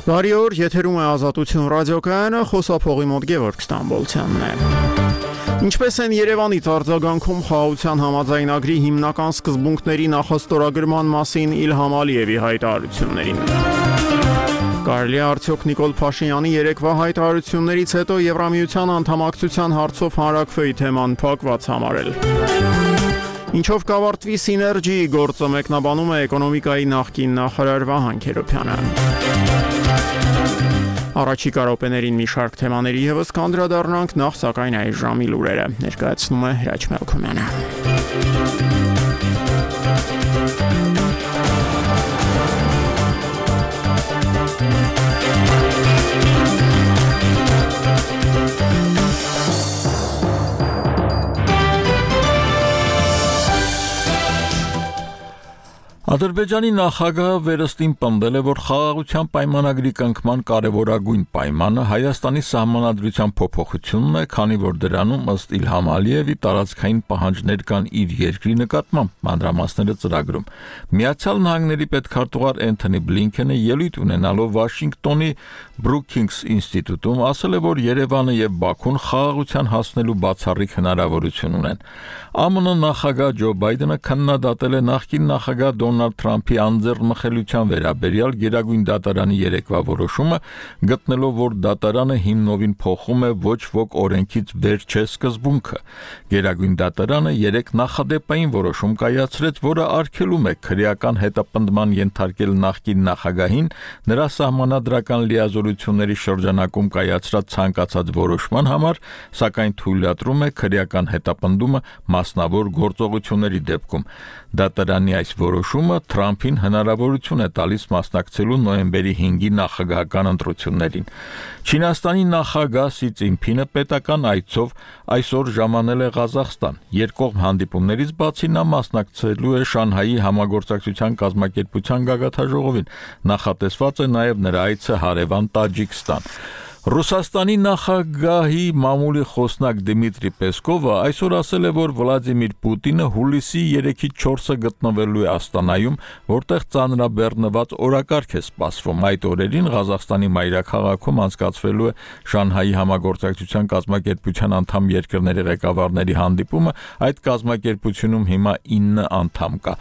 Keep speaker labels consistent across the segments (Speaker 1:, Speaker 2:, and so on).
Speaker 1: Բարի օր, եթերում է Ազատություն ռադիոկայանը, խոսափողի մոտ Գևորգ Ստամբոլցյանն է։ Ինչպես են Երևանից արձագանքում խաղաղության համաձայնագրի հիմնական սկզբունքների նախաստորագրման մասին Իլհամ Ալիևի հայտարարություններին։ Կարելի է արդյոք Նիկոլ Փաշինյանի երեկվա հայտարարություններից հետո Եվրամիության անդամակցության հարցով հանրաքվեի թեման փակված համարել։ Ինչով կավարտվի Սիներգիի գործը, մեկնաբանում է էկոնոմիկայի նախկին նախարար Վահան Քերոբյանը։ Առաջիկա րոպեներին մի շարք թեմաների ևս կանդրադառնանք, նախ սակայն այս ժամի լուրերը ներկայացնում է Հրաչ Մելքումյանը։
Speaker 2: Ադրբեջանի նախագահը վերստին պնդել է, որ խաղաղության պայմանագրի կնքման կարևորագույն պայմանը Հայաստանի սահմանադրության փոփոխությունն է, քանի որ դրանում ըստ Իլհամ Ալիևի տարածքային պահանջներ կան իր երկրի նկատմամբ, մանրամասները ծրագրում։ Միացյալ Նահանգների պետքարտուղար Էնթոնի Բլինքենը ելույթ ունենալով Վաշինգտոնի Brookings ինստիտուտում ասել է, որ Երևանը եւ Բաքուն խաղաղության հասնելու բացառիկ հնարավորություն ունեն։ ԱՄՆ նախագահ Ջո Բայդենը քննադատել է նախկին նախագահ Դոնալդ Թրամփի անձեռնմխելիության վերաբերյալ Գերագույն դատարանի երեկվա որոշումը, գտնելով, որ դատարանը հիմնովին փոխում է ոչ ոք օրենքից վեր չէ սկզբունքը։ Գերագույն դատարանը 3 նախադեպային որոշում կայացրեց, որը արգելում է քրեական հետապնդման ենթարկել նախկին նախագահին նրա սահմանադրական լիազորությունների շրջանակում կայացրած ցանկացած որոշման համար, սակայն թույլատրում է քրեական հետապնդումը մասնավոր գործողությունների դեպքում։ Դատարանի այս որոշումը Թրամփին հնարավորություն է տալիս մասնակցելու նոյեմբերի 5-ի նախագահական ընտրություններին։ Չինաստանի նախագահ Սի Ցզինփինը պետական այցով այսօր ժամանել է Ղազախստան։ Երկկողմ հանդիպումներից բացի նա մասնակցելու է Շանհայի համագործակցության կազմակերպության գագաթնաժողովին։ Նախատեսված է նաև նրա այցը հարևան Տաջիկստան։ Ռուսաստանի նախագահի մամուլի խոսնակ Դիմիտրի Պեսկովը այսօր ասել է, որ Վլադիմիր Պուտինը հուլիսի 3-ից 4-ը գտնվելու է Աստանայում, որտեղ ծանրաբեռնված օրակարգ է սպասվում։ Այդ օրերին Ղազախստանի մայրաքաղաքում անցկացվելու է Շանհայի համագործակցության կազմակերպության անդամ երկրների ղեկավարների հանդիպումը, այդ կազմակերպությունում հիմա 9 անդամ կա։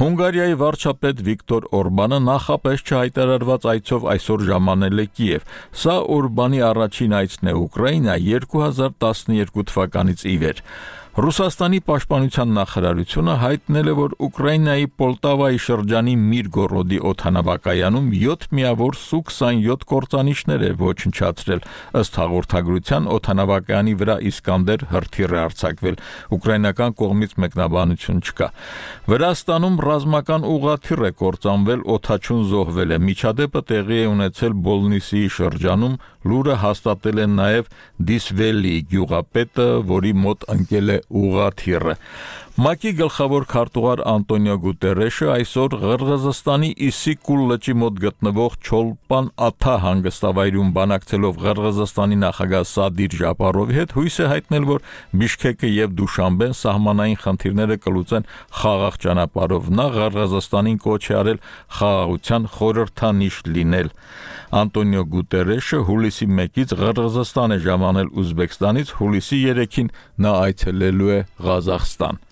Speaker 2: Հունգարիայի վարչապետ Վիկտոր Օրբանը նախապես չհայտարարված այցով այսօր ժամանել է Կիև։ Սա Օրբանի առաջին այցն է Ուկրաինա 2012 թվականից ի վեր։ Ռուսաստանի պաշտպանության նախարարությունը հայտնել է, որ Ուկրաինայի Պոլտավայի շրջանի Միրգորոդի օդանավակայանում 7 միավոր Սու-27 կործանիչներ է ոչնչացրել։ Ըստ հաղորդագրության օդանավակայանի վրա Իսկանդեր հրթիռ է արձակվել։ Ուկրաինական կողմից մեկնաբանություն չկա։ Վրաստանում ռազմական ուղղաթիռ է կործանվել, օդաչուն զոհվել է։ Միջադեպը տեղի է ունեցել Բոլնիսիի շրջանում, լուրը հաստատել է նաև Դիսվելի գյուղապետը, որի մոտ ընկել է ուղղաթիռը։ ՄԱԿ-ի գլխավոր քարտուղար Անտոնիո Գուտերեշը այսօր Ղրղըզստանի Իսիկուլ լճի մոտ գտնվող Չոլպան Աթա հանգստավայրում բանակցելով Ղրղըզստանի նախագահ Սադիր Ժապարովի հետ հույս է հայտնել, որ Բիշքեկը եւ Դուշանբեն սահմանային խնդիրները կլուծեն խաղաղ ճանապարհով։ Նա Ղրղըզստանին կոչ է արել խաղաղության խորհրդանիշ լինել։ Անտոնիո Գուտերեշը հուլիսի 1-ից Ղրղըզստան է ժամանել Ուզբեկստանից, հուլիսի 3-ին նա այցելելու է Ղազախստան։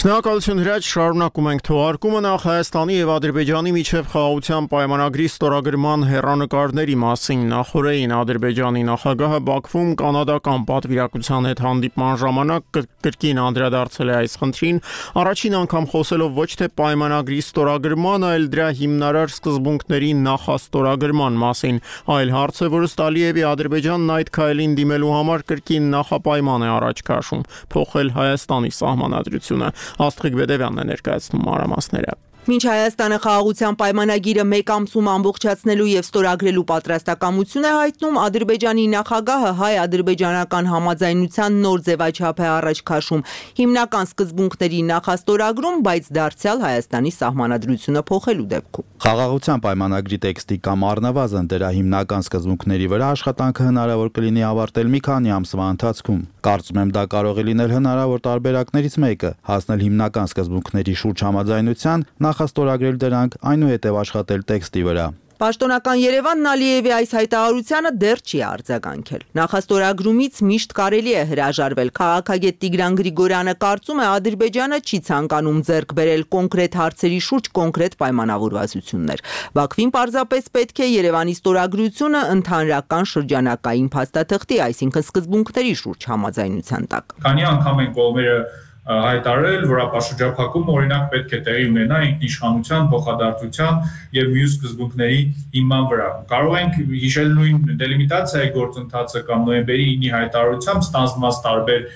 Speaker 1: Շնորհակալություն Հրաչ, շարունակում ենք թողարկումը նախ Հայաստանի եւ Ադրբեջանի միջև խաղաղության պայմանագրի ստորագրման հեռանկարների մասին նախորդին Ադրբեջանի նախագահը Բաքվում կանադական պատվիրակության հետ հանդիպման ժամանակ կրկին անդրադարձել է այս խնդրին, առաջին անգամ խոսելով ոչ թե պայմանագրի ստորագրման, այլ դրա հիմնարար սկզբունքների նախաստորագրման մասին, այլ հարց է, որ ըստ Ալիևի Ադրբեջանն այդ քայլին դիմելու համար կրկին նախապայման է առաջ քաշում՝ փոխել Հայաստանի սահմանադրությունը։ Աստղիկ Բեդևյանն է ներկայացնում մանրամասները։
Speaker 3: Մինչ Հայաստանը խաղաղության պայմանագիրը մեկ ամսում ամբողջացնելու եւ ստորագրելու պատրաստակամություն է հայտնում, Ադրբեջանի նախագահը հայ-ադրբեջանական համաձայնության նոր ձևաչափ է առաջ քաշում, հիմնական սկզբունքների նախաստորագրում, բայց դարձյալ Հայաստանի սահմանադրությունը փոխելու դեպքում։
Speaker 4: Խաղաղության պայմանագրի տեքստի կամ առնվազն դրա հիմնական սկզբունքների վրա աշխատանքը հնարավոր կլինի ավարտել մի քանի ամսվա ընթացքում։ Կարծում եմ, դա կարող է լինել հնարավոր տարբերակներից մեկը, հասնել հիմնական սկզբունքների շուրջ համաձայնության, նախաստորագրել դրանք, այնուհետև աշխատել տեքստի վրա։
Speaker 3: Պաշտոնական Երևանն Ալիևի այս հայտարարությանը դեռ չի արձագանքել։ Նախաստորագրումից միշտ կարելի է հրաժարվել։ Քաղաքագետ Տիգրան Գրիգորյանը կարծում է, Ադրբեջանը չի ցանկանում ձեռք բերել կոնկրետ հարցերի շուրջ կոնկրետ պայմանավորվածություններ։ Բաքվին պարզապես պետք է Երևանի ստորագրությունը ընդհանրական շրջանակային փաստաթղթի, այսինքն սկզբունքների շուրջ համաձայնության տակ։
Speaker 5: Քանի անգամ են կողմերը հայտարարել, որ ապաշրջափակումը օրինակ պետք է տեղի ունենա ինքնիշխանության, փոխադարձության եւ մյուս սկզբունքների հիման վրա։ Կարող ենք հիշել նույն դելիմիտացիայի գործընթացը կամ նոյեմբերի 9-ի հայտարարությամբ ստանձնված տարբեր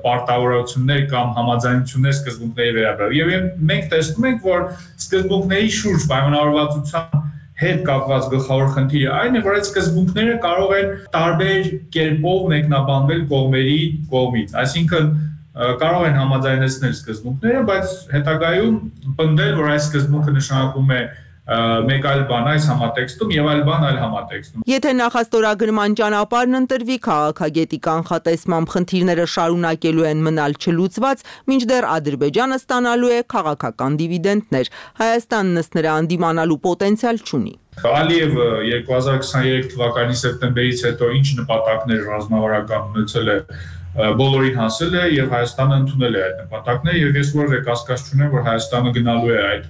Speaker 5: պարտավորություններ կամ համաձայնություններ սկզբունքների վերաբերյալ։ Եվ մենք տեսնում ենք, որ սկզբունքների շուրջ պայմանավորվածության հետ կապված գլխավոր խնդիրը այն է, որ այդ սկզբունքները կարող են տարբեր կերպով մեկնաբանվել կողմերի կողմից։ Այսինքն կարող են համաձայնեցնել սկզբունքները, բայց հետագայում պնդել, որ այս սկզբունքը նշանակում է մեկ այլ բան այս համատեքստում եւ այլ բան այլ համատեքստում։
Speaker 3: Եթե նախաստորագրման ճանապարհն ընտրվի, քաղաքագետի կանխատեսմամբ խնդիրները շարունակելու են մնալ չլուծված, մինչդեռ Ադրբեջանը ստանալու է քաղաքական դիվիդենդներ։ Հայաստանն ըստ նրա անդիմանալու պոտենցիալ չունի։
Speaker 5: Ալիևը 2023 թվականի սեպտեմբերից հետո ինչ նպատակներ ռազմավարական ունեցել է, բոլորին հասել է եւ Հայաստանը ընդունել է այդ նպատակները եւ ես որևէ կասկած չունեմ, որ Հայաստանը գնալու է այդ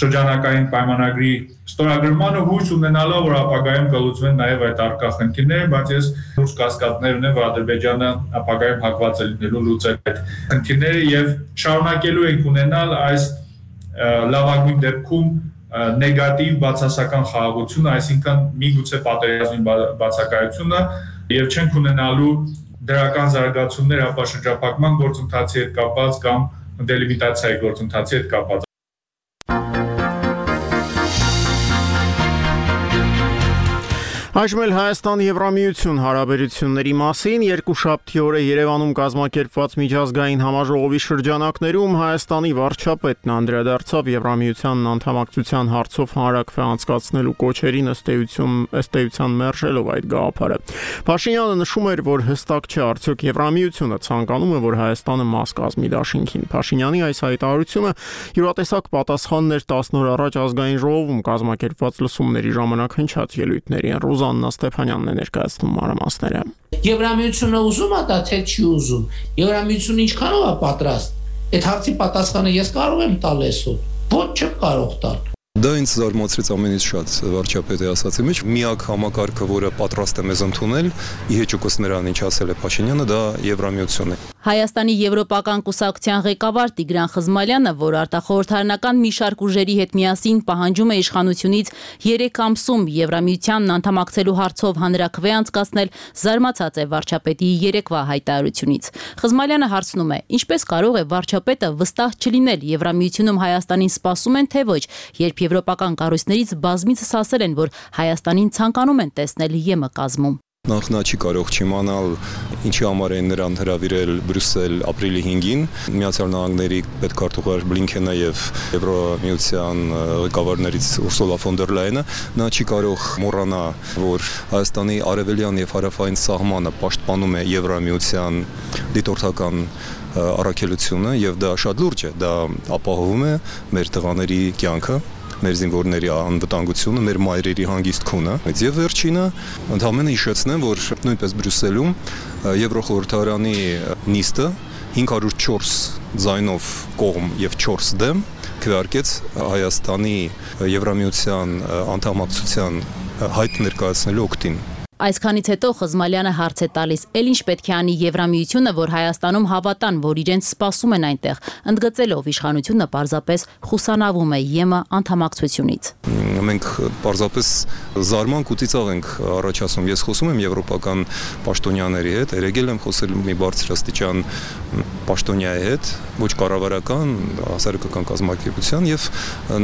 Speaker 5: շրջանակային պայմանագրի ստորագրմանը հույս ունենալով, որ ապագայում կլուծվեն նաեւ այդ առկա խնդիրները, բայց ես լուրջ կասկածներ ունեմ, որ Ադրբեջանը ապագայում հակված է լինելու լուծել այդ խնդիրները եւ շարունակելու ենք ունենալ այս լավագույն դեպքում նեգատիվ բացասական խաղաղությունը, այսինքն միգուցե պատերազմի բացակայությունը եւ չենք ունենալու դրական զարգացումներ ապաշրջափակման գործընթացի հետ կապված կամ դելիմիտացիայի գործընթացի հետ կապված։
Speaker 1: Այժմ էլ Հայաստան-Եվրամիություն հարաբերությունների մասին երկուշաբթի օրը Երևանում կազմակերպված միջազգային համաժողովի շրջանակներում Հայաստանի վարչապետն անդրադարձավ Եվրամիությանն անդամակցության հարցով հանրակրվե անցկացնելու կոչերին ըստ էության մերժելով այդ գաղափարը։ Փաշինյանը նշում էր, որ հստակ չէ արդյոք Եվրամիությունը ցանկանում է, որ Հայաստանը մաս կազմի դաշինքին։ Փաշինյանի այս հայտարարությունը յուրատեսակ պատասխանն էր 10 օր առաջ ազգային ժողովում կազմակերպված լսումների ժամանակ հնչած ելույթներին։ Աննա Ստեփանյանն է ներկայացնում մանրամասները։
Speaker 6: Եվրամիությունը ուզում է դա թե չի ուզում։ Եվրամիությունը ինչքանով է պատրաստ։ Այդ հարցի պատասխանը ես կարող եմ տալ այսօր։ Ոչ չեմ կարող տալ։
Speaker 7: Դա ինձ զարմացրեց ամենից շատ վարչապետի ասացի մեջ։ Միակ համակարգը, որը պատրաստ է մեզ ընդունել, իհեճուկս նրան ինչ ասել է Փաշինյանը, դա Եվրամիությունն է։
Speaker 8: Հայաստանի Եվրոպական կուսակցության ղեկավար Տիգրան Խզմալյանը, որ արտախորհրդարանական մի շարք ուժերի հետ միասին պահանջում է իշխանությունից 3 ամսում Եվրամիությանն անդամակցելու հարցով հանրակրվե անցկացնել, զարմացած է վարչապետի երեկվա հայտարարությունից։ Խզմալյանը հարցնում է. ինչպես կարող է վարչապետը վստահ չլինել Եվրամիությունում Հայաստանին սպասում են թե ոչ, երբ եվրոպական կառույցներից բազմիցս ասել են, որ Հայաստանին ցանկանում են տեսնել ԵՄ կազմում։
Speaker 7: Նախ նա չի կարող չիմանալ ինչի համար են նրան հրավիրել Բրյուսել ապրիլի 5-ին Միացյալ Նահանգների պետքարտուղար Բլինքենը եւ Եվրոմիության ղեկավարներից Ուրսուլա ֆոն դեր Լայենը, նա չի կարող մոռանա, որ Հայաստանի արևելյան եւ հարավային սահմանը պաշտպանում է Եվրոմիության դիտորդական առաքելությունը եւ դա շատ լուրջ է, դա ապահովում է մեր տղաների կյանքը, մեր զինվորների անվտանգությունը, մեր մայրերի հանգիստ քունը։ Եվ վերջինը ընդհանրապես հիշեցնեմ, որ նույնպես Բրյուսելում Եվրոխորհրդարանի նիստը 504 ձայնով կողմ եւ 4 դեմ քվեարկեց Հայաստանի Եվրամիության անդամակցության հայտ ներկայացնելու օգտին։
Speaker 8: Այսքանից հետո Խզմալյանը հարց է տալիս. «Էլ ինչ պետք է անի Եվրամիությունը, որ Հայաստանում հավատան, որ իրենց սպասում են այնտեղ», ընդգծելով իշխանությունը պարզապես խուսանավում է ԵՄ անդամակցությունից։
Speaker 7: Մենք պարզապես զարմանք ու ծիծաղ ենք առաջացնում։ Ես խոսում եմ եվրոպական պաշտոնյաների հետ, երեգել եմ խոսել մի բարձրաստիճան պաշտոնյայի հետ, ոչ կառավարական, հասարակական կազմակերպության եւ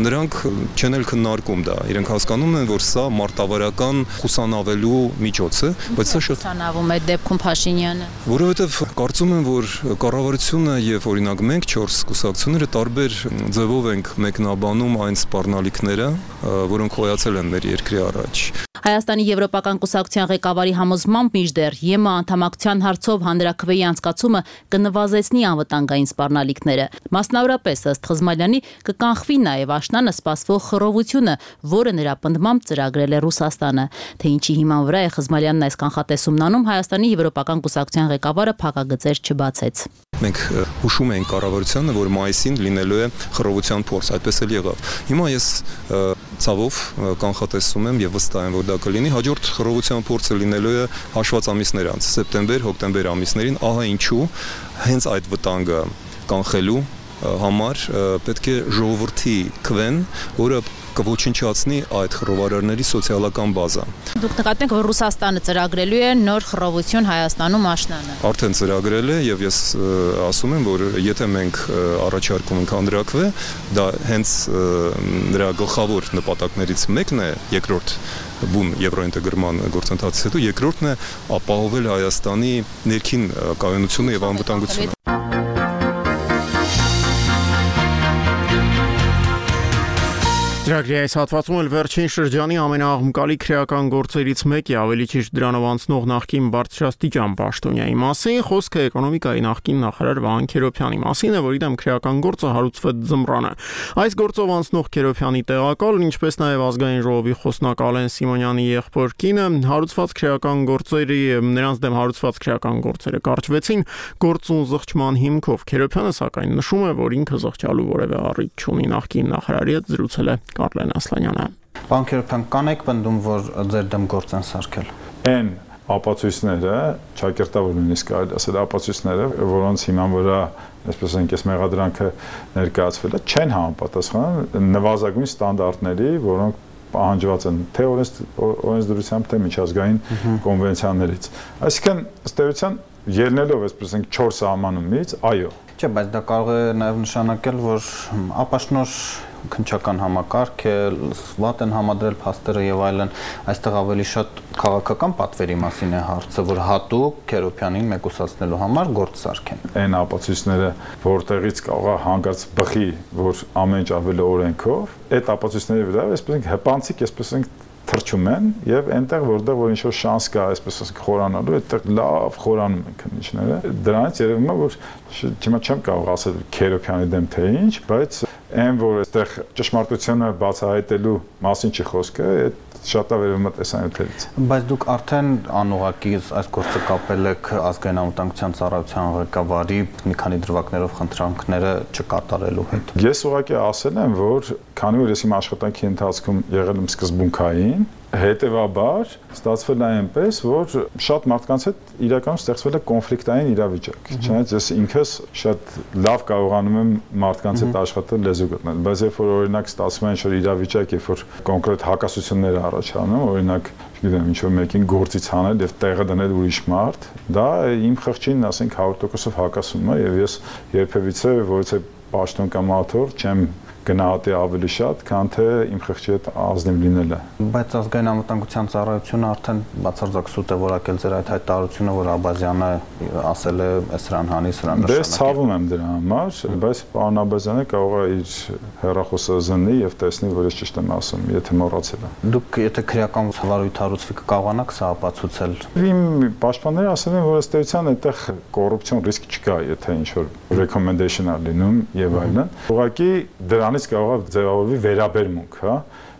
Speaker 7: նրանք չեն էլ քննարկում դա։ Իրենք հասկանում են, որ սա մարտավարական խուսանավելու միջոց է, բայց սա շատ
Speaker 8: խուսանավում է դեպքում Փաշինյանը։
Speaker 7: Որովհետեւ կարծում եմ, որ կառավարությունը եւ օրինակ մենք 4 կուսակցությունները տարբեր ձևով ենք մեկնաբանում այն սպառնալիքները, որոնք հոյացել են մեր երկրի առաջ։
Speaker 8: Հայաստանի Եվրոպական կուսակցության ղեկավարի համոզմամբ մինչդեռ ԵՄ անդամակցության հարցով հանրաքվեի անցկացումը կնվազեցնի անվտանգային սպառնալիքները։ Մասնավորապես ըստ Խզմալյանի կկանխվի նաև աշնանը սպասվող խռովությունը, որը նրա պնդմամբ ծրագրել է Ռուսաստանը։ Թե ինչի հիման վրա է Խզմալյանն այս կանխատեսումն անում, Հայաստանի Եվրոպական կուսակցության ղեկավարը փակագծեր չբացեց։
Speaker 7: Մենք հուշում ենք կառավարությանը, որ մայիսին լինելու է խռովության փորձ, այդպես էլ եղավ։ Հիմա ես ցավով կանխատեսում եմ եւ վստահ եմ, որ դա կլինի հաջորդ խռովության փորձը լինելու է հաշված ամիսներ անց, սեպտեմբեր, հոկտեմբեր ամիսներին, ահա ինչու հենց այդ վտանգը կանխելու համար պետք է ժողովրդի քվեն, որը կոչնչացնի այդ խռովարարների սոցիալական բազան։
Speaker 8: Դուք նկատում եք, որ Ռուսաստանը ծրագրելու է նոր խռովություն Հայաստանում աշնանը։
Speaker 7: Արդեն ծրագրել է եւ ես ասում եմ, որ եթե մենք առաջարկում ենք հանրաքվե, դա հենց նրա գլխավոր նպատակներից մեկն է, երկրորդ բուն եվրոինտեգրման գործընթացից հետո երկրորդն է ապահովել Հայաստանի ներքին կայունությունը եւ անվտանգությունը։
Speaker 1: Ծրագրի այս հատվածում էլ վերջին շրջանի ամենաաղմկալի քրեական գործերից մեկի, ավելի ճիշտ դրանով անցնող նախկին բարձրաստիճան պաշտոնյայի մասին, խոսքը էկոնոմիկայի նախկին նախարար Վահան Քերոբյանի մասին է, որի դեմ քրեական գործը հարուցվեց ձմռանը։ Այս գործով անցնող Քերոբյանի տեղակալ, ինչպես նաև ազգային ժողովի խոսնակ Ալեն Սիմոնյանի եղբոր կինը, նրանց դեմ հարուցված քրեական գործերը կարճվեցին գործուն զղջման հիմքով։ Քերոբյանը սակայն նշում է, որ ինքը զղջալու որևէ առիթ չունի, նախկին նախարարի հետ զրուցել է Կարլեն Ասլանյանը։
Speaker 9: Պարոն Քերոբյան, կանեք պնդում, որ ձեր դեմ գործ են սարքել։
Speaker 10: Այն ապացույցները, ճակերտավոր նույնիսկ կարելի ասել ապացույցները, որոնց հիման վրա, այսպես ասենք, այս մեղադրանքը ներկայացվել է, չեն համապատասխանում նվազագույն ստանդարտների, որոնք պահանջված են թե օրենսդրությամբ, թե միջազգային կոնվենցիաներից։ Այսինքն, ըստ էության, ելնելով, այսպես ասենք, 4 սահմանումից, այո։
Speaker 9: Չէ, բայց դա կարող է նաև նշանակել, որ ապաշնոր քննչական համակարգ է, վատ են համադրել փաստերը եւ այլն, այստեղ ավելի շատ քաղաքական պատվերի մասին է հարցը, որ հատուկ Քերոբյանին մեկուսացնելու համար գործ սարքեն։
Speaker 10: Այն ապացույցները, որտեղից կարող է հանգած բխի, որ ամեն ինչ ավելի օրենքով, այդ ապացույցների վրա, այսպես ասենք, հպանցիկ, այսպես ասենք, թրջում են եւ այնտեղ որտեղ որ ինչ-որ շանս կա, այսպես ասենք, խորանալու, այդտեղ լավ խորանում են քննիչները։ Դրանից երևում է, որ հիմա չեմ կարող ասել Քերոբյանի դեմ թե ինչ, բայց այն որ այստեղ ճշմարտությունը բացահայտելու մասին չի խոսքը, այդ շատ ավերում է տեսանյութերից։
Speaker 9: Բայց դուք արդեն անուղղակի այս գործը կապել եք ազգային անվտանգության ծառայության ղեկավարի մի քանի դրվագներով խնդրանքները չկատարելու հետ։
Speaker 10: Ես ուղղակի ասել եմ, որ քանի որ ես իմ աշխատանքի ընթացքում եղել եմ սկզբունքային, հետևաբար ստացվել է այնպես, որ շատ մարդկանց հետ իրականում ստեղծվել է կոնֆլիկտային իրավիճակ։ Չնայած ես ինքս շատ լավ կարողանում եմ մարդկանց հետ աշխատել, լեզու գտնել, բայց երբ որ օրինակ ստացվում է ինչ-որ իրավիճակ, երբ որ կոնկրետ հակասություններ առաջանում, օրինակ, չգիտեմ, ինչ-որ մեկին գործից հանել եւ տեղը դնել ուրիշ մարդ, դա իմ խղճին, ասենք, 100%-ով հակասում է եւ ես երբևիցե որևէ պաշտոն կամ աթոռ չեմ գնահատի ավելի շատ, քան թե իմ խղճի հետ ազնիվ լինելը։
Speaker 9: Բայց ազգային անվտանգության ծառայությունը արդեն բացարձակ սուտ է որակել ձեր այդ հայտարարությունը, որ Աբազյանը ասել է սրան հանի, սրան նշանակի։
Speaker 10: Դες ցավում եմ դրա համար, բայց պարոն Աբազյանը կարող է իր հեռախոսը զննի եւ տեսնի, որ ես ճիշտ եմ ասում, եթե մոռացել է։
Speaker 9: Դուք եթե քրեական վարույթ հարուցվի կկարողանաք սա ապացուցել։
Speaker 10: Իմ պաշտպանները ասել են, որ ըստ էության այդտեղ կոռուպցիոն ռիսկ չկա, եթե ինչ-որ recommendation-ա լինում եւ այլն։ Ուղղակի դրանից կարող է ձևավորվի վերաբերմունք, հա,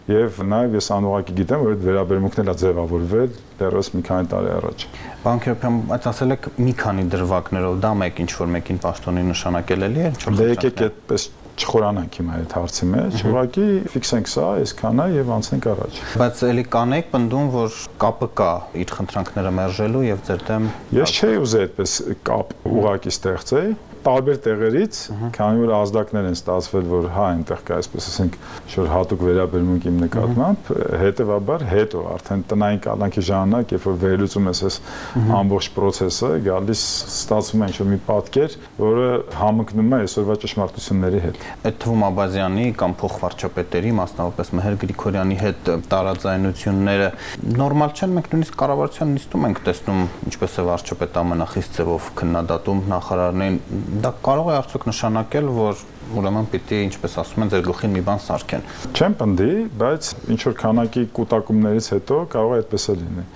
Speaker 10: եւ նաեւ ես անուղղակի գիտեմ, որ այդ վերաբերմունքն էլ է ձևավորվել դեռս մի քանի տարի առաջ։
Speaker 9: Պարոն Քերոբյան, այդ ասել եք մի քանի դրվագներով, դա մեկ ինչ-որ մեկին պաշտոնի նշանակել էլի է,
Speaker 10: Դե եկեք այդպես չխորանանք հիմա այդ հարցի մեջ, ուղղակի ֆիքսենք սա, այսքան է եւ անցնենք առաջ։
Speaker 9: Բայց էլի կանեք պնդում, որ կապը կա իր խնդրանքները մերժելու եւ ձեր դեմ։
Speaker 10: Ես չէի ուզել այդպես կապ ուղղակի ստեղծել, տարբեր տեղերից, քանի որ ազդակներ են ստացվել, որ հա այնտեղ կա այսպես ասենք շուտ հատուկ վերաբերմունք իմ նկատմամբ, հետեւաբար հետո արդեն տնային կալանքի ժամանակ, երբ որ վերլուծում ես այս ամբողջ process-ը, գալիս ստացվում է ինչ-որ մի պատկեր, որը համընկնում է այսօրվա ճշմարտությունների հետ։
Speaker 9: Այդ թվում Աբազյանի կամ փոխվարչապետերի, մասնավորապես Մհեր Գրիգորյանի հետ տարաձայնությունները նորմալ չեն, մենք նույնիսկ կառավարության նիստում ենք տեսնում, ինչպես է վարչապետ ամենախիստ ձևով քննադատում նախարարներին, դա կարող է արդյոք նշանակել, որ ուրեմն պիտի, ինչպես ասում են, ձեր գլխին մի բան սարքեն։
Speaker 10: Չեմ պնդի, բայց ինչ որ քանակի կուտակումներից հետո կարող է այդպես լինի։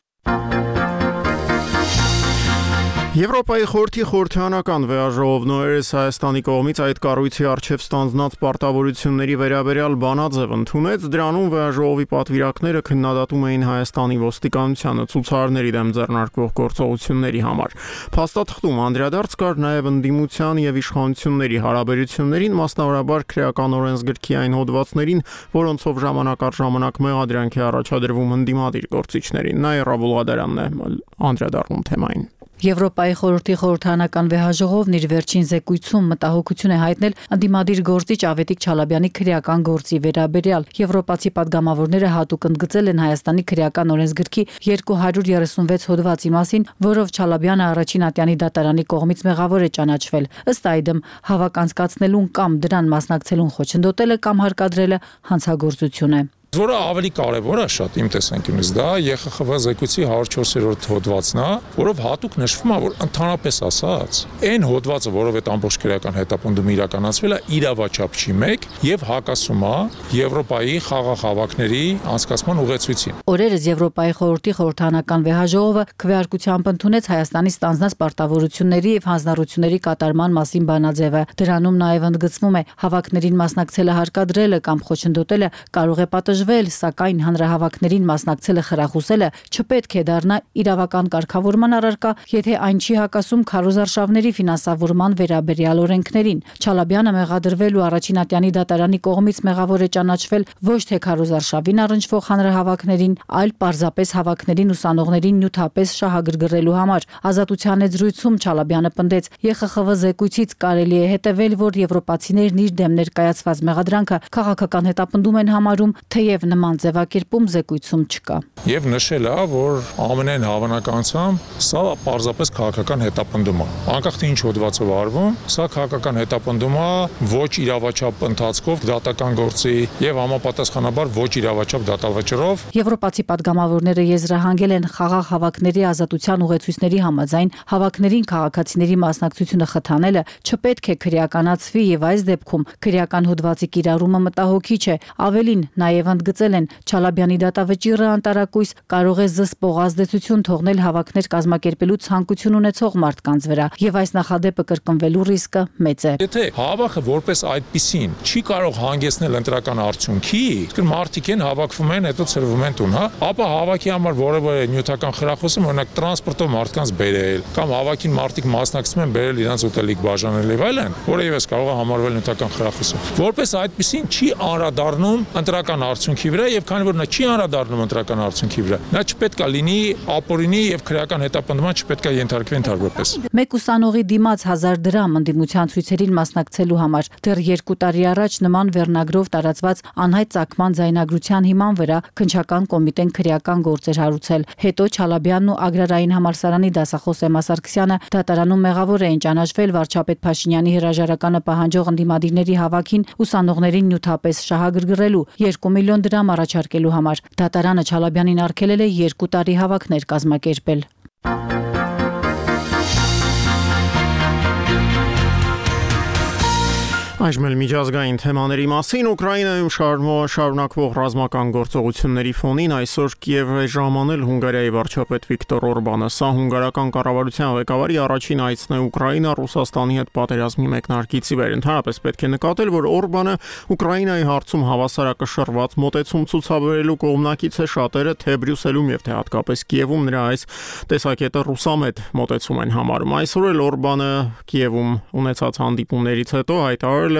Speaker 1: Եվրոպայի խորհրդի խորհրդանական վեաժողովն օրերս Հայաստանի կողմից այդ կառույցի առջև ստանձնած պարտավորությունների վերաբերյալ բանաձև ընդունեց, դրանում վեաժողովի պատվիրակները քննադատում էին Հայաստանի ոստիկանությանը ցուցարարների դեմ ձեռնարկվող գործողությունների համար։ Փաստաթղթում անդրադարձ կար նաև ընդդիմության եւ իշխանությունների հարաբերություններին, մասնավորաբար քրեական օրենսգրքի այն հոդվածներին, որոնցով ժամանակ առ ժամանակ մեղադրանք է առաջադրվում ընդդիմադիր գործիչներին։ Նա Ռավուլ Ղադարյանն է անդրադառնում թեմային։
Speaker 11: Եվրոպայի խորհրդի խորհրդանական վեհաժողովն իր վերջին զեկույցում մտահոգություն է հայտնել ընդդիմադիր գործիչ Ավետիք Չալաբյանի քրեական գործի վերաբերյալ։ Եվրոպացի падգամավորները հատուկ ընդգծել են Հայաստանի քրեական օրենսգրքի 236 հոդվածի մասին, որով Չալաբյանը առաջին ատյանի դատարանի կողմից մեղավոր է ճանաչվել։ Ըստ այդմ, հավաք անցկացնելուն կամ դրան մասնակցելուն խոչընդոտելը կամ հարկադրելը հանցագործություն է։
Speaker 12: Որը ավելի կարևոր է շատ իմ տեսանկյունից դա ԵԽԽՎ զեկույցի 104-րդ հոդվածն է, որով հատուկ նշվում է, որ ընդհանրապես ասած, այն հոդվածը, որով այդ ամբողջ քրեական հետապնդումը իրականացվել է, իրավաչափ չի մեկ եւ հակասում է Եվրոպայի խաղաղ հավաքների անցկացման ուղեցույցին։
Speaker 11: Օրերս Եվրոպայի խորհրդի խորհրդանական վեհաժողովը քվեարկությամբ ընդունեց Հայաստանի ստանձնած պարտավորությունների եւ հանձնառությունների կատարման մասին բանաձևը։ Դրանում նաեւ ընդգծվում է հավաքներին մասնակցելը հարկադրելը կամ խոչընդոտելը կարող է պատժվել, սակայն հանրահավաքներին մասնակցելը խրախուսելը չպետք է դառնա իրավական կարգավորման առարկա, եթե այն չի հակասում քարոզարշավների ֆինանսավորման վերաբերյալ օրենքներին։ Չալաբյանը մեղադրվել ու առաջին ատյանի դատարանի կողմից մեղավոր է ճանաչվել ոչ թե քարոզարշավին առնչվող հանրահավաքներին, այլ պարզապես հավաքներին ուսանողներին նյութապես շահագրգռելու համար։ Ազատության զրույցում Չալաբյանը պնդեց, ԵԽԽՎ զեկույցից կարելի է հետևել, որ եվրոպացիներն իր դեմ ներկայացված մեղադրանքը քաղաքական հետապնդում են համարում, թեև նման ձևակերպում զեկույցում չկա։
Speaker 12: Եվ նշել է, որ ամենայն հավանականությամբ սա պարզապես քաղաքական հետապնդում է։ Անկախ թե ինչ հոդվածով արվում, սա քաղաքական հետապնդում է ոչ իրավաչափ ընթացքով դատական գործի եւ համապատասխանաբար ոչ իրավաչափ դատավճռով։
Speaker 11: Եվրոպացի падգամավորները եզրահանգել են խաղաղ հավաքների ազատության ուղեցույցների համաձայն հավաքներին քաղաքացիների մասնակցությունը խթանելը չպետք է քրեականացվի եւ այս դեպքում քրեական հոդվածի կիրառումը մտահոգիչ է։ Ավելին նաև ընդգծել են Չալաբյանի դատավճիռը անտարակույս կարող է զսպող ազդեցություն թողնել հավաքներ կազմակերպելու ցանկություն ունեցող մարդկանց վրա եւ այս նախադեպը կրկնվելու ռիսկը մեծ է։
Speaker 12: Եթե հավաքը որպես այդպիսին չի կարող հանգեցնել ընտրական արդյունքի, իսկ մարդիկ են հավաքվում են, հետո ծրվում են տուն, հա, ապա հավաքի համար որևէ նյութական խրախուսում, օրինակ տրանսպորտով մարդկանց բերել կամ հավաքին մարդիկ մասնակցում են բերել իրենց ուտելիք բաժանել եւ այլն, որը եւս կարող է համարվել նյութական խրախուսում։ Որպես այդպիսին չի անդրադառնում ընտրական արդյունքի վրա եւ քանի որ նա չի անդրադառնում ընտրական արդյունքի վրա, նա չպետք է լինի ապօրինի եւ քրեական հետապնդման չպետք է ենթարկվի ընդհանրապես։
Speaker 11: Մեկ ուսանողի դիմաց 1000 դրամ ընդդիմության ցույցերին մասնակցելու համար դեռ 2 տարի առաջ նման վերնագրով տարածված անհայտ ծագման ձայնագրության հիման վրա քննչական կոմիտեն քրեական գործեր հարուցել։ Հետո Չալաբյանն ու Ագրարային համալսարանի դասախոս Էմմա Սարգսյանը դատարանում մեղավոր էին ճանաչվել վարչապետ Փաշինյանի հրաժարականը պահանջող ընդդիմադիրների հավաքին ուսանողներին նյութապես շահագրգռելու 2 միլիոն դրամ առաջարկելու համար։ Դատարանը Չալաբյանին արգելել է 2 տարի հավաքներ կազմակերպել։
Speaker 1: Այժմ էլ միջազգային թեմաների մասին Ուկրաինայում շարունակվող ռազմական գործողությունների ֆոնին այսօր Կիև է ժամանել Հունգարիայի վարչապետ Վիկտոր Օրբանը։ Սա հունգարական կառավարության ղեկավարի առաջին այցն է Ուկրաինա Ռուսաստանի հետ պատերազմի մեկնարկից ի վեր։ Ընդհանրապես պետք է նկատել, որ Օրբանը Ուկրաինայի հարցում հավասարակշռված մոտեցում ցուցաբերելու կողմնակից է, շատերը թե Բրյուսելում եւ թե հատկապես Կիևում նրա այս տեսակետը ռուսամետ մոտեցում են համարում։ Այսօր էլ Օրբանը Կիևում ունեցած հանդիպումներից հետո հայտարարել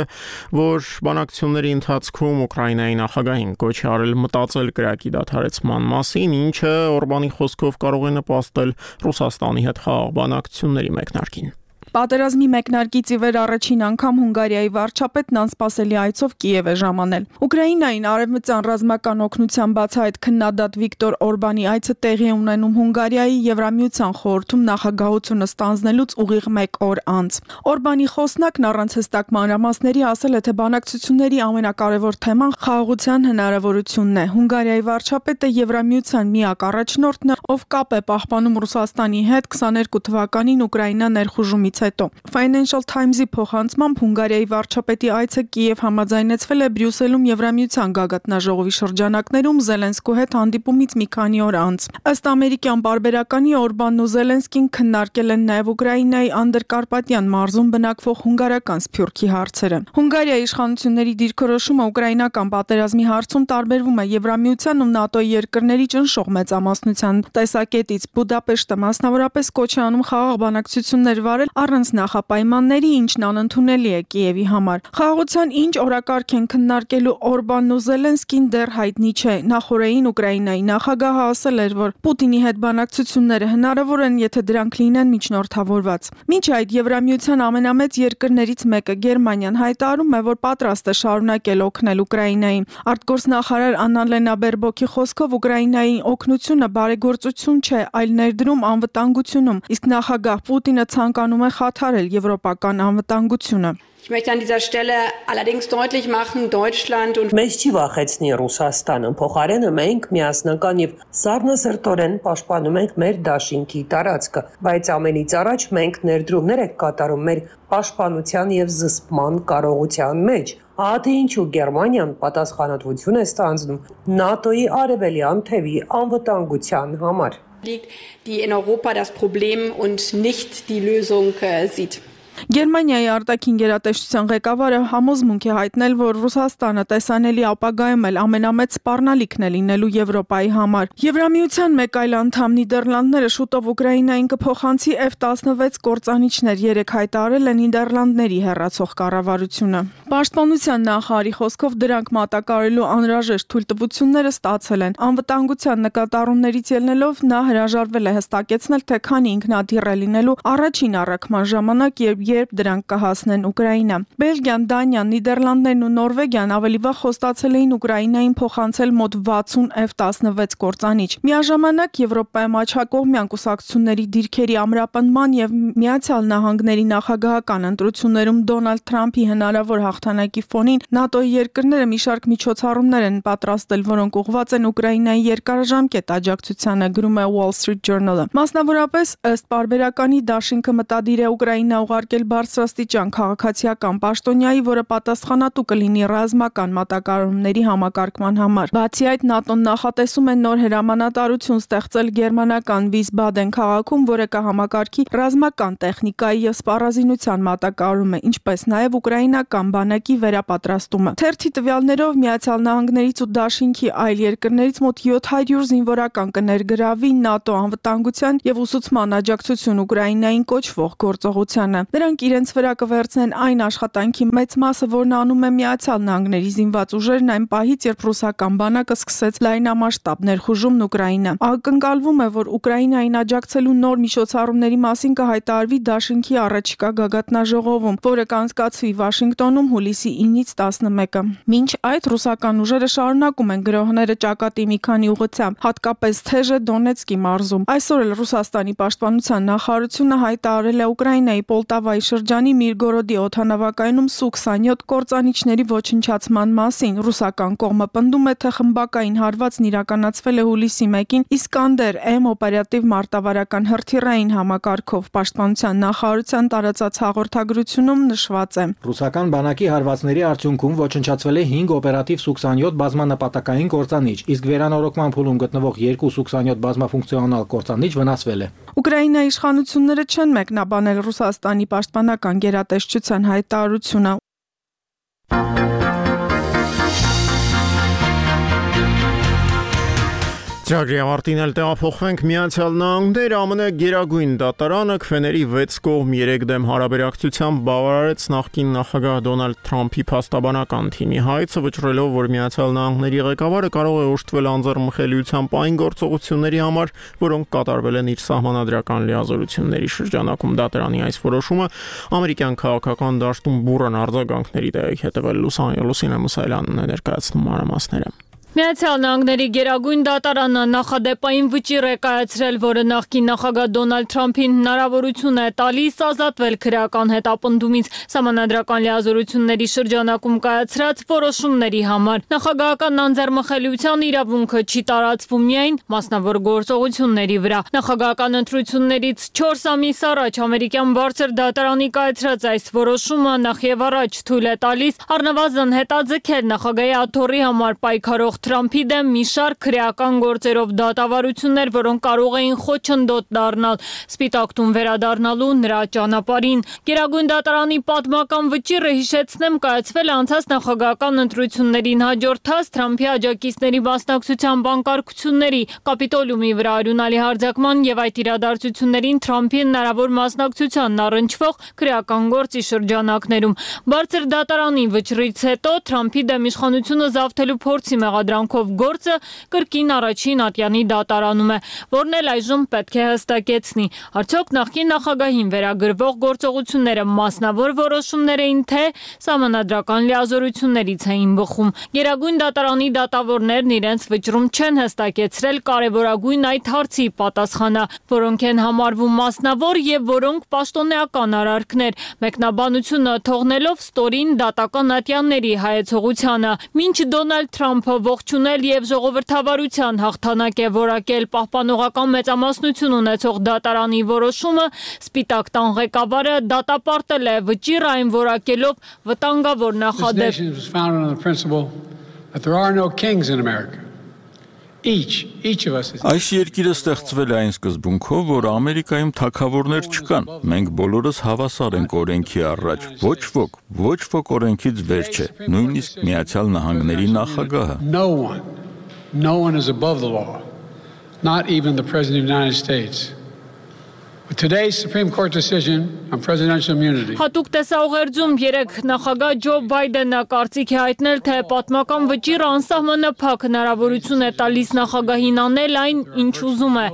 Speaker 1: որ բանակցությունների ընթացքում Ուկրաինայի նախագահին կոչ է արել մտածել կրակի դադարեցման մասին, ինչը Օրբանի խոսքով կարող է նպաստել Ռուսաստանի հետ խաղաղ բանակցությունների մեկնարկին։
Speaker 13: Պատերազմի մեկնարկից ի վեր առաջին անգամ Հունգարիայի վարչապետն անսպասելի այցով Կիև է ժամանել։ Ուկրաինային արևմտյան ռազմական օգնության բացահայտ քննադատ Վիկտոր Օրբանի այցը տեղի է ունենում Հունգարիայի Եվրամիության խորհրդում նախագահությունը ստանձնելուց ուղիղ 1 օր անց։ Օրբանի խոսնակն առանց հստակ մանրամասների ասել է, թե բանակցությունների ամենակարևոր թեման խաղաղության հնարավորությունն է։ Հունգարիայի վարչապետը Եվրամիության միակ առաջնորդն է, ով կապ է պահպանում Ռուսաստանի հետ 22 թվականին Ուկրաինա ներխուժումից հետո։ Financial Times-ի փոխանցմամբ Հունգարիայի վարչապետի այցը Կիև համաձայնեցվել է Բրյուսելում Եվրամիության գագաթնաժողովի շրջանակներում Զելենսկու հետ հանդիպումից մի քանի օր անց։ Ըստ ամերիկյան պարբերականի Օրբանն ու Զելենսկին քննարկել են նաև Ուկրաինայի Անդրկարպատյան մարզում բնակվող հունգարական սփյուռքի հարցերը։ Հունգարիայի իշխանությունների դիրքորոշումը ուկրաինական պատերազմի հարցում տարբերվում է Եվրամիության ու ՆԱՏՕ-ի երկրների ճնշող մեծամասնության տեսակետից։ Բուդապեշտը մասնավորապես կոչ է անում խաղաղ բանակցություններ վարել առանց նախապայմանների, ինչն անընդունելի է Կիևի համար։ Խաղաղության ինչ օրակարգ են քննարկելու Օրբանն ու Զելենսկին դեռ հայտնի չէ։ Նախորդին Ուկրաինայի նախագահը ասել էր, որ Պուտինի հետ բանակցությունները հնարավոր են, եթե դրանք լինեն միջնորդավորված։ Մինչ այդ Եվրամիության ամենամեծ երկրներից մեկը Գերմանիան հայտարարում է, որ պատրաստ է շարունակել օգնել Ուկրաինային։ Արտգործնախարար Աննալենա Բերբոկի խոսքով Ուկրաինայի օգնությունը բարեգործություն չէ, այլ ներդրում անվտանգությունում, իսկ նախագահ Պուտինը ցանկանում է խաթարել եվրոպական անվտանգությունը։
Speaker 14: Ich möchte an dieser Stelle allerdings deutlich machen, Deutschland und
Speaker 15: Մեզ չի վախեցնի Ռուսաստանը, փոխարենը մենք միասնական եւ սառնասրտորեն պաշտպանում ենք մեր դաշինքի տարածքը, բայց ամենից առաջ մենք ներդրումներ ենք կատարում մեր պաշտպանության եւ զսպման կարողության մեջ։ Ահա թե ինչու Գերմանիան պատասխանատվություն է ստանձնում ՆԱՏՕ-ի արևելյան թևի անվտանգության համար։
Speaker 14: Die in Europa das Problem und nicht die Lösung sieht.
Speaker 13: Գերմանիայի արտաքին գերատեսչության ղեկավարը համոզմունք է հայտնել, որ Ռուսաստանը տեսանելի ապագայում էլ ամենամեծ սպառնալիքն է լինելու Եվրոպայի համար։ Եվրամիության մեկ այլ անդամ Նիդերլանդները շուտով Ուկրաինային կփոխանցի F-16 կործանիչներ, երեք հայտարարել է Նիդերլանդների հեռացող կառավարությունը։ Պաշտպանության նախարարի խոսքով դրանք մատակարարելու անհրաժեշտ թույլտվությունները ստացել են։ Անվտանգության նկատառումներից ելնելով նա հրաժարվել է հստակեցնել, թե քանի ինքնաթիռ է լինելու առաջին առաքման ժամանակ, երբ դրանք կհասնեն Ուկրաինա։ Բելգիան, Դանիան, Նիդերլանդներն ու Նորվեգիան ավելի վաղ խոստացել էին Ուկրաինային փոխանցել մոտ 60 F-16 կործանիչ։ Միաժամանակ Եվրոպայում աչակողմյան կուսակցությունների դիրքերի ամրապնդման եւ Միացյալ Նահանգների նախագահական ընտրություններում Դոնալդ Թրամփի հնարավոր հաղթանակի ֆոնին ՆԱՏՕ-ի երկրները մի շարք միջոցառումներ են պատրաստել, որոնք ուղղված են Ուկրաինայի երկարաժամկետ աջակցությանը, գրում է Wall Street Journal-ը։ Մասնավորապես ըստ պարբերականի դաշինքը մտադիր է Ուկրաինա ուղարկել բարձրաստիճան քաղաքացիական պաշտոնյայի, որը պատասխանատու կլինի ռազմական մատակարարումների համակարգման համար։ Բացի այդ, ՆԱՏՕ-ն նախատեսում է նոր հրամանատարություն ստեղծել գերմանական Վիսբադեն քաղաքում, որը կհամակարգի ռազմական տեխնիկայի եւ սպառազինության մատակարարումը, ինչպես նաեւ ուկրաինական բանակի վերապատրաստումը։ Թերթի տվյալներով Միացյալ Նահանգներից ու Դաշինքի այլ երկրներից մոտ 700 զինվորական կներգրավի ՆԱՏՕ անվտանգության եւ ուսուցման աջակցություն Ուկրաինային կոչվող գործողությանը։ Նրանք իրենց վրա կվերցնեն այն աշխատանքի մեծ մասը, որն անում է Միացյալ Նահանգների զինված ուժերն այն պահից, երբ ռուսական բանակը սկսեց լայնամասշտաբ ներխուժումն Ուկրաինա։ Ակնկալվում է, որ Ուկրաինային աջակցելու նոր միջոցառումների մասին կհայտարարվի Դաշինքի առաջիկա գագաթնաժողովում, որը կանցկացվի Վաշինգտոնում հուլիսի 9-ից 11-ը։ Մինչ այդ ռուսական ուժերը շարունակում են գրոհները ճակատի մի քանի ուղղությամբ, հատկապես Թեժե Դոնեցկի մարզում։ Այսօր էլ Ռուսաստանի պաշտպանության նախարարությունը հայտարարել է Ուկրաինայի Պոլտավայի շրջանի Միրգորոդի օդանավակայանում Su-27 կործանիչների ոչնչացման մասին։ Ռուսական կողմը պնդում է, թե խմբակային հարվածն իրականացվել է հուլիսի 1-ին Իսկանդեր-M օպերատիվ մարտավարական հրթիռային համակարգով։ Պաշտպանության նախարարության տարածած հաղորդագրությունում նշված է.
Speaker 16: Ռուսական բանակի հարվածների արդյունքում ոչնչացվել է 5 օպերատիվ Su-27 բազմանպատակային կործանիչ, իսկ վերանորոգման փուլում գտնվող 2 Su-27 բազմաֆունկցիոնալ կործանիչ վնասվել է։
Speaker 13: Ուկրաինայի իշխանությունները չեն մեկնաբանել Ռուսաստանի պաշտպանական գերատեսչության հայտարարությունը։
Speaker 1: Ծրագրի ավարտին էլ տեղափոխվենք Միացյալ Նահանգներ, ԱՄՆ գերագույն դատարանը քվեների 6 կողմ 3 դեմ հարաբերակցությամբ բավարարեց նախկին նախագահ Դոնալդ Թրամփի փաստաբանական թիմի հայցը, վճռելով, որ Միացյալ Նահանգների ղեկավարը կարող է օժտվել անձեռմխելիությամբ այն գործողությունների համար, որոնք կատարվել են իր սահմանադրական լիազորությունների շրջանակում։ Դատարանի այս որոշումը ամերիկյան քաղաքական դաշտում բուռն արձագանքների տեղիք հետևել Լուսինե Մուսայելյանն է ներկայացնում մանրամասները։
Speaker 17: Միացյալ Նահանգների գերագույն դատարանը նախադեպային վճիռ է կայացրել, որը նախկին նախագահ Դոնալդ Թրամփին հնարավորություն է տալիս ազատվել քրեական հետապնդումից սահմանադրական լիազորությունների շրջանակում կայացրած որոշումների համար։ Նախագահական անձեռմխելիության իրավունքը չի տարածվում միայն մասնավոր գործողությունների վրա։ Նախագահական ընտրություններից 4 ամիս առաջ ամերիկյան բարձր դատարանի կայացրած այս որոշումը նախ եւ առաջ թույլ է տալիս առնվազն հետաձգել նախագահի աթոռի համար պայքարող Թրամփի դեմ մի շարք քրեական գործերով դատավարություններ, որոնք կարող էին խոչընդոտ դառնալ Սպիտակ տուն վերադառնալու նրա ճանապարհին։ Գերագույն դատարանի պատմական վճիռը, հիշեցնեմ, կայացվել է անցած նախագահական ընտրություններին հաջորդած Թրամփի աջակիցների մասնակցության բանկարկությունների, Կապիտոլիումի վրա արյունալի հարձակման եւ այդ իրադարձություններին Թրամփի հնարավոր մասնակցությանն առնչվող քրեական գործի շրջանակներում։ Բարձր դատարանի վճռից հետո Թրամփի դեմ իշխանությունը զավթելու փորձի մեղադրանքով գործը կրկին առաջին ատյանի դատարանում է, որն էլ այժմ պետք է հստակեցնի, արդյոք նախկին նախագահին վերագրվող գործողությունները մասնավոր որոշումներ էին, թե սահմանադրական լիազորություններից էին բխում։ Գերագույն դատարանի դատավորներն իրենց վճռում չեն հստակեցրել կարևորագույն այդ հարցի պատասխանը, որոնք են համարվում մասնավոր եւ որոնք պաշտոնեական արարքներ, մեկնաբանությունը թողնելով ստորին դատական ատյանների հայեցողությանը։ Մինչ Դոնալդ Թրամփը ողջունել եւ ժողովրդավարության հաղթանակ է որակել պահպանողական մեծամասնություն ունեցող դատարանի որոշումը, Սպիտակ տան ղեկավարը դատապարտել է վճիռ այն որակելով վտանգավոր նախադեպ։
Speaker 2: Այս երկիրը ստեղծվել է այն սկզբունքով, որ Ամերիկայում թագավորներ չկան։ Մենք բոլորս հավասար ենք օրենքի առաջ։ Ոչ ոք օրենքից վեր չէ, նույնիսկ Միացյալ Նահանգների նախագահը։
Speaker 18: No one is above the law, not even the President of the United States. With today's Supreme Court decision on presidential immunity.
Speaker 17: Հատուկ տեսաուղերձում երեք նախագահ Ջո Բայդենը կարծիք է հայտնել, թե պատմական վճիռը անսահմանափակ հնարավորություն է տալիս նախագահին անել այն, ինչ ուզում է։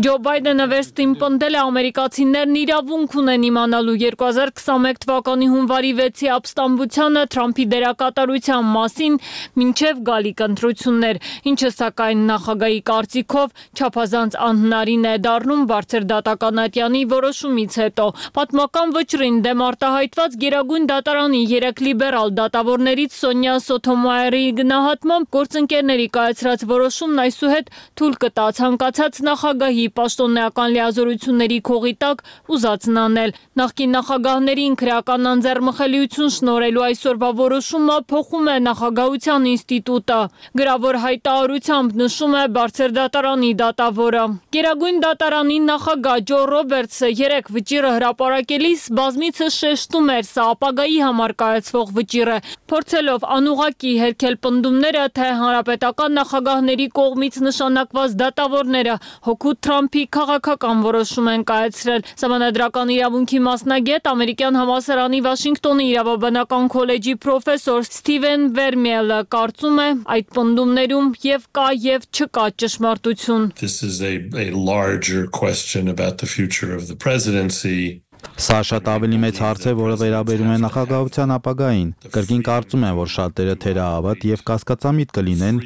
Speaker 17: Ջո Բայդենը վերստին պնդել է ամերիկացիներն իրավունք ունեն իմանալու 2021 թվականի հունվարի 6-ի ապստամբությանը Թրամփի դերակատարության մասին մինչև գալիք ընտրություններ, ինչը սակայն նախագահի կարծիքով չափազանց անհնարին է դառնում բարձր դատական ատյանի որոշումից հետո։ Պատմական վճռին դեմ արտահայտված Գերագույն դատարանի 3 լիբերալ դատավորներից Սոնյա Սոթոմայերի գնահատմամբ գործընկերների կայացրած որոշումն այսուհետ թույլ կտա ցանկացած նախագահի պաշտոնեական լիազորությունների քողի տակ ուզածն անել։ Նախկին նախագահներին քրեական անձեռմխելիություն շնորհելու այսօրվա որոշումը փոխում է նախագահության ինստիտուտը։ Գրավոր հայտարարությամբ նշում է բարձր դատարանի դատավորը։ Գերագույն դատարանի նախագահ Ջո Ռոբերտսը երեք վճիռը հրապարակելիս բազմիցս շեշտում էր, սա ապագայի համար կայացվող վճիռ է, փորձելով անուղղակի հերքել պնդումները, թե հանրապետական նախագահների կողմից նշանակված դատավորները հօգուտ Թրամփի քաղաքական որոշում են կայացրել։ Սահմանադրական իրավունքի մասնագետ, ամերիկյան համալսարանի Վաշինգտոնի իրավաբանական քոլեջի պրոֆեսոր Սթիվեն Վերմիելը կարծում է, այդ պնդումներում եւ կա եւ չկա ճշմարտություն։
Speaker 19: This is a larger question about the future of the presidency.
Speaker 4: Սա շատ ավելի մեծ հարց է, որը վերաբերում է նախագահության ապագային։ Կրկին կարծում եմ, որ շատերը թերահավատ եւ կասկածամիտ կլինեն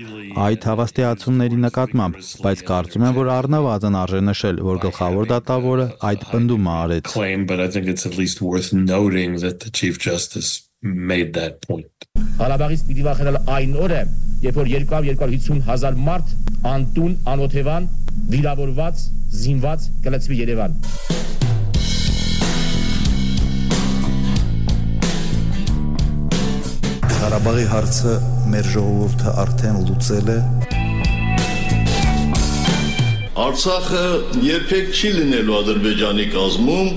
Speaker 4: այդ հավաստիացումների նկատմամբ, բայց կարծում եմ, որ առնվազն արժե նշել, որ գլխավոր դատավորը այդ պնդումը արեց։
Speaker 19: But I think it's at least worth noting that the Chief Justice made that point.
Speaker 20: Ղարաբաղից պիտի վախենալ այն օրը, երբ որ 250,000 մարդ անտուն, անօթևան, վիրավորված, զինված կլցվի Երևան։
Speaker 21: Ղարաբաղի հարցը մեր ժողովուրդը արդեն լուծել է։
Speaker 22: Արցախը երբեք չի լինելու Ադրբեջանի կազմում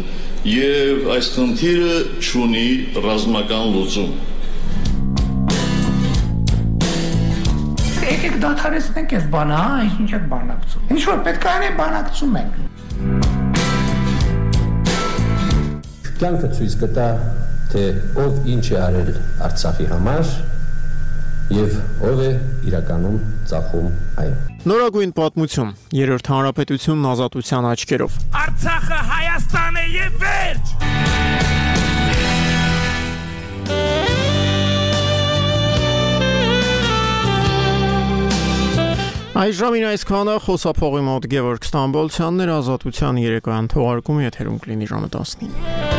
Speaker 22: եւ այս խնդիրը չունի ռազմական լուծում։
Speaker 6: Եկեք դադարեցնենք այս բանը, հա, ինչ եք բանակցում։ Ինչ որ պետք է անենք, բանակցում ենք։
Speaker 3: Կյանքը ցույց կտա, թե ով ինչ է արել Արցախի համար եւ ով է իրականում ծախում այն։
Speaker 1: Նորագույն պատմություն, երրորդ հանրապետությունն ազատության աչքերով։
Speaker 5: Արցախը Հայաստան է եւ վերջ։
Speaker 1: Այժմին այսքանը խոսափողի մոտ Գևորգ Ստամբոլցյանն էր, ազատության երեկոյան թողարկումը եթերում կլինի ժամը 19-ին։